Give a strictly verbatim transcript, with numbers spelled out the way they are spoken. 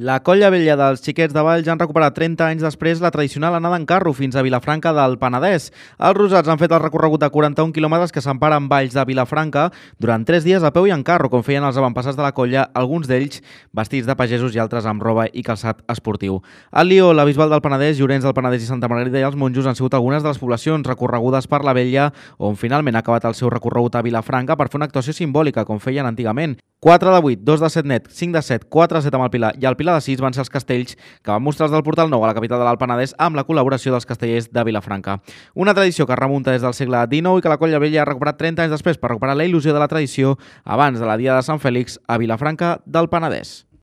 La Colla Vella dels Xiquets de Valls han recuperat trenta anys després la tradicional anada en carro fins a Vilafranca del Penedès. Els rosats han fet el recorregut de quaranta-un quilòmetres que s'emparen Valls de Vilafranca durant tres dies a peu i en carro, com feien els avantpassats de la colla, alguns d'ells vestits de pagesos i altres amb roba i calçat esportiu. El Lió, la Bisbal del Penedès, Llorenç del Penedès i Santa Margarida i els Monjos han sigut algunes de les poblacions recorregudes per la Vella, on finalment ha acabat el seu recorregut a Vilafranca per fer una actuació simbòlica, com feien antigament. quatre de vuit, dos de set net, cinc de set, quatre de set amb el Pilar i el Pilar de sis van ser els castells que van mostrar del Portal Nou a la capital de l'Alt Penedès amb la col·laboració dels castellers de Vilafranca. Una tradició que remunta des del segle dinou i que la Colla Vella ha recuperat trenta anys després per recuperar la il·lusió de la tradició abans de la Dia de Sant Fèlix a Vilafranca del Penedès.